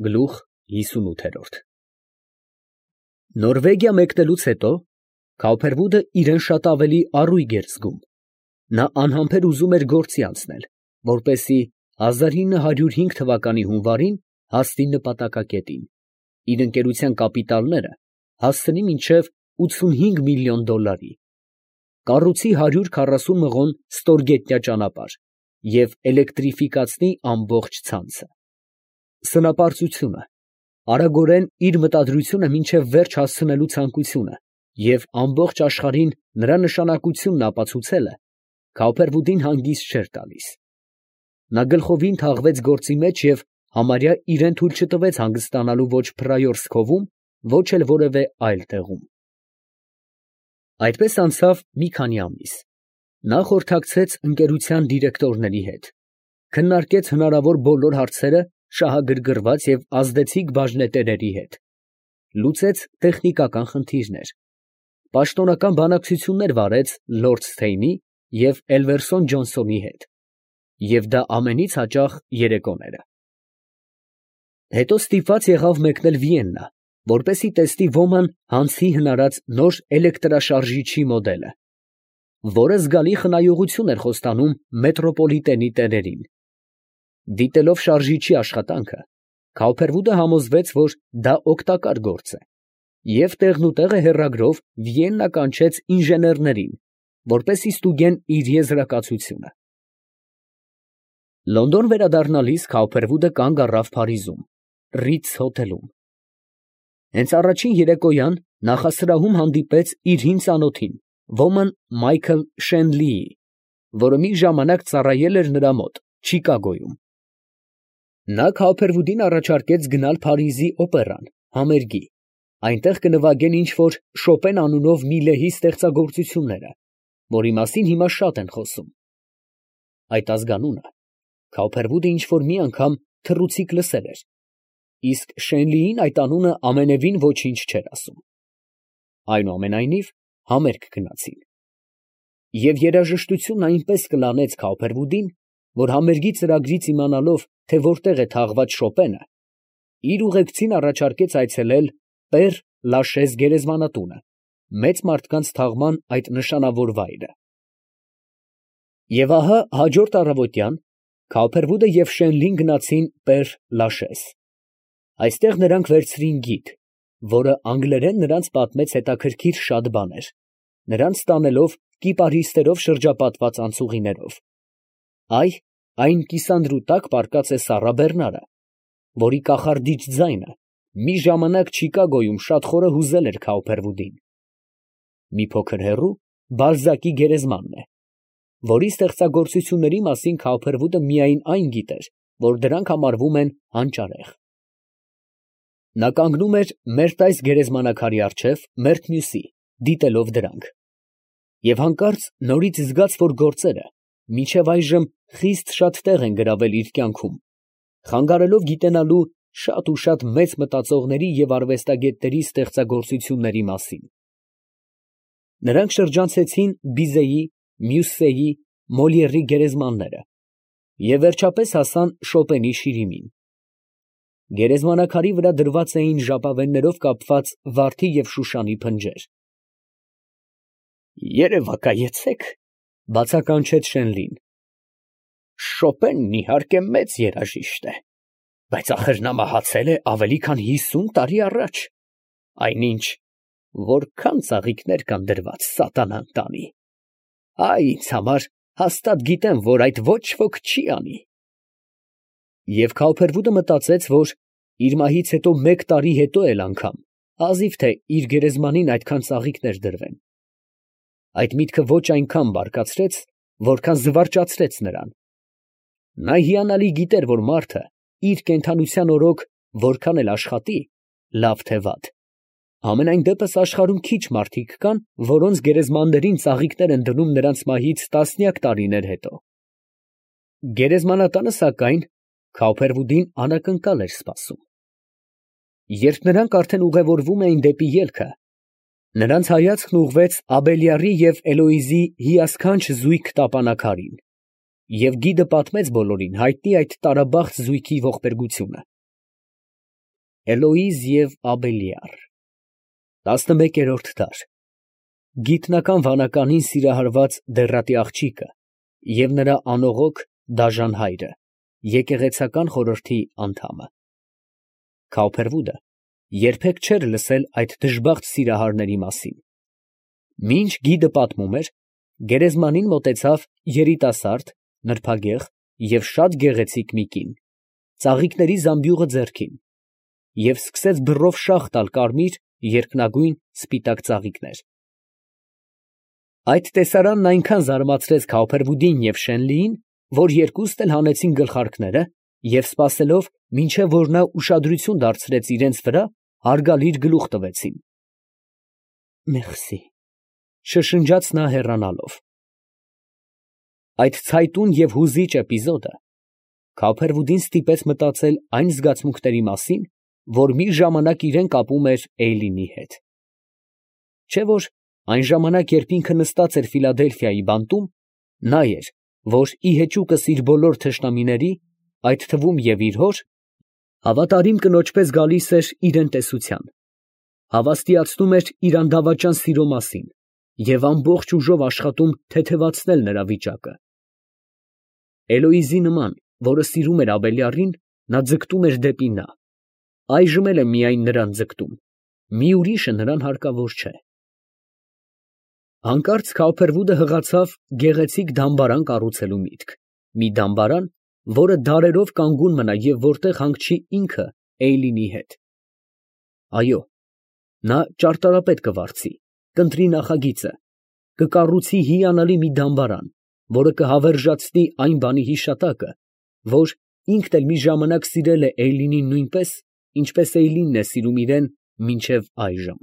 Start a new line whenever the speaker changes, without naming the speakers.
Գլուխ 58 Նորվեգիա մեկնելուց հետո Քաուփերվուդը իրան շատ ավելի առույգ էր զգում. նա անհամբեր ուզում էր գործի անցնել, որպեսզի 1905 թվականի հունվարին հասնի նպատակակետին, իր ընկերության կապիտալները հասցնի մինչև 85 միլիոն դոլարի, կառուցի 140 մղոն ստորգետնյա ճանապարհ և էլեկտրիֆիկացնի ամբողջ ցանցը։ Սնապարծությունը, արագորեն իր մտադրությունը մինչև վերջ հասցնելու ցանկությունը և ամբողջ աշխարհին նրա նշանակությունն ապացուցելը Քաուփերվուդին հանգիստ չէր տալիս։ Նա գլխովին թաղվեց գործի մեջ և համարյա իրան թույլ չտվեց հանգստանալու ոչ Փրայորսկովում, ոչ էլ որևէ այլ տեղում։ Այդպես անցավ մի քանի ամիս. նա խորհրդակցեց ընկերության դիրեկտորների հետ, քննարկեց հնարավոր բոլոր հարցերը շահագրգռված և ազդեցիկ բաժնետերերի հետ, լուծեց տեխնիկական խնդիրներ, պաշտոնական բանակցություններ վարեց լորդ Սթեյնի և Էլվերսոն Ջոնսոնի հետ, և դա ամենից հաճախ երեկոները։ Հետո ստիպված եղավ մեկնել Վիեննա, որպեսզի տեսնի Ոման Հանսի հնարած նոր էլեկտրաշարժիչի մոդելը, որը զգալի խնայողություն էր խոստանում մետրոպոլիտենի տերերին։ Դիտելով շարժիչի աշխատանքը, Քաուփերվուդը համոզվեց, որ դա օգտակար գործ է, և տեղնուտեղը հեռագրով Վիեննա կանչեց ինժեներներին, որպեսզի ստուգեն իր եզրակացությունը։ Լոնդոն վերադառնալիս Քաուփերվուդը կանգ առավ Փարիզում, Ռիթզ հոթելում։ Հենց առաջին երեկոյան նախասրահում հանդիպեց իր հին ծանոթին, ոմն Մայքլ Շենլիի, որը մի ժամանակ ծառայել էր նրա մոտ Չիկագոյում։ Նա Քաուփերվուդին առաջարկեց գնալ Փարիզի օպերան, համերգի, այնտեղ կնվագեն ինչ֊որ Շոպեն անունով մի լեհի ստեղծագործությունները, որի մասին հիմա շատ են խոսում։ Այդ ազգանունը Քաուփերվուդը ինչ֊որ մի անգամ թռուցիկ լսել էր, իսկ Շենլիին այդ անունը ամենևին ոչինչ չէր ասում։ Այնուամենայնիվ համերգ գնացին։ Եվ երաժշտությունն այնպես կլանեց Քաուփերվուդին, որ համերգի ծրագրից իմանալով, թե որտեղ է թաղված Շոպենը, իր ուղեկցին առաջարկեց այցելել Պեր Լաշեզ գերեզմանատունը, մեծ մարդկանց թաղման այդ նշանավոր վայրը։ Եվ ահա հաջորդ առավոտյան Քաուփերվուդը և Շենլին գնացին Պեր Լաշեզ։ Այստեղ նրանք վերցրին գիդ, որը անգլերեն նրանց պատմեց հետաքրքիր շատ բաներ, նրանց տանելով կիպարիսներով շրջապատված անցուղիներով։ Այն կիսանդրու տակ պառկած է Սառա Բեռնարը, որի կախարդիչ ձայնը մի ժամանակ Չիկագոյում շատ խորը հուզել էր Քաուփերվուդին։ Մի փոքր հեռու Բալզակի գերեզմանն է, որի ստեղծագործությունների մասին Քաուփերվուդը միայն այն գիտեր, որ դրանք համարվում են հանճարեղ։ Նա կանգնում էր մերտայս գերեզմանակարի առջև, մերթ մյուսի, դիտելով դրանք։ Եվ հանկարծ նորից զգաց, որ գործերը մինչև այժմ խիստ շատ տեղ են գրավել իր կյանքում, խանգարելով գիտենալու շատ ու շատ մեծ մտածողների և արվեստագետների ստեղծագործությունների մասին։ Նրանք շրջանցեցին Բիզեի, Մյուսսեի, Մոլիերի գերեզմանները և վերջապես հասան Շոպենի շիրիմին։ Գերեզմանակարի վրա դրված էին ժապավեններով կապված վարդի և շուշանի փնջեր։ «Երևակայեցեք», ֊ բացականչեց Շենլին։ «Շոպենն իհարկե մեծ երաժիշտ է, բայց ախր նա մահացել է ավելի քան 50 տարի առաջ, այնինչ որքան ծաղիկներ կան դրված սատանան տանի։ Ինձ համար հաստատ գիտեմ, որ այդ ոչ ոք չի անի»։ Եվ Քաուփերվուդը մտածեց, որ իր մահից հետո մեկ տարի հետո էլ անգամ հազիվ թե իր գերեզմանին այդքան ծաղիկներ դրվեն։ Այդ միտքը ոչ այնքան բարկացրեց, որքան զվարճացրեց նրան։ Նա հիանալի գիտեր, որ մարդը իր կենդանության օրոք որքան էլ աշխատի, լավ թե վատ, ամենայն դեպս աշխարհում քիչ մարդիկ կան, որոնց գերեզմաններին ծաղիկներ են դնում նրանց մահից տասնյակ տարիներ հետո։ Գերեզմանատանը, սակայն, Քաուփերվուդին անակնկալ էր սպասում։ Երբ նրանք արդեն ուղևորվում էին դեպի ելքը, նրանց հայացքն ուղղվեց Աբելյարի և Էլոիզի հիասքանչ զույգ տապանաքարին, և գիդը պատմեց բոլորին հայտնի այդ տարաբաղձ զույգի ողբերգությունը։ Էլոիզ և Աբելիար 11-րդ դար Գիտնական վանականին սիրահարված դեռատի աղջիկը և նրա անողոք դաժան հայրը, եկեղեցական խորհրդի անդամը։ Քավփերվուդը երբեք չէր լսել այդ դժբախտ սիրահարների մասին։ Մինչ գիդը պատմում էր, գերեզմանին մոտեցավ երիտասարդ, նրբագեղ և շատ գեղեցիկ մի կին, ծաղիկների զամբյուղը ձեռքին, և սկսեց բռով շաղ տալ կարմիր, երկնագույն, սպիտակ ծաղիկներ։ Այդ տեսարանն այնքան զարմացրեց Քավփերվուդին և Շենլիին, որ երկուստ էլ հանեցին գլխարկները և սպասելով, մինչև որ նա ուշադրություն դարձրեց իրանց վրա, հարգալից գլուխ տվեցին։ «Մերսի», շշնջաց նա հեռանալով։ Այդ ցայտուն և հուզիչ էպիզոդը Քավփերվուդին ստիպեց մտածել այն զգացմունքների մասին, որ մի ժամանակ իրան կապում էր Էյլինի հետ։ Չէ՞ որ այն ժամանակ, երբ ինքը նստած էր Ֆիլադելֆիայի բանտում, նա էր, որ ի հեճուկս իր բոլոր թշնամիների, այդ թվում և իր հոր, հավատարիմ կնոջպես գալիս էր իրան տեսության, հավաստիացնում էր իր անդավաճան սիրո մասին և ամբողջ ուժով աշխատում թեթևացնել նրա վիճակը։ Էլոիզի նման, որը սիրում էր Աբելյարին, նա ձգտում էր դեպի նա, այժմ էլ է միայն նրան ձգտում, մի ուրիշը նրան հարկավոր չէ։ Հանկարծ Քավփերվուդը հղացավ գեղեցիկ դամբարան կառուցելու միտք, մի դամբարան, որը դարերով կանգուն մնա և որտեղ հանգչի ինքը Էյլինի հետ։ Այո, նա ճարտարապետ կվարձի, կընտրի նախագիծը, կկառուցի հիանալի մի դամբարան, որը կհավերժացնի այն բանի հիշատակը, որ ինքն էլ մի ժամանակ սիրել է Էյլինին նույնպես, ինչպես Էյլինն է սիրում իրան մինչև այժմ։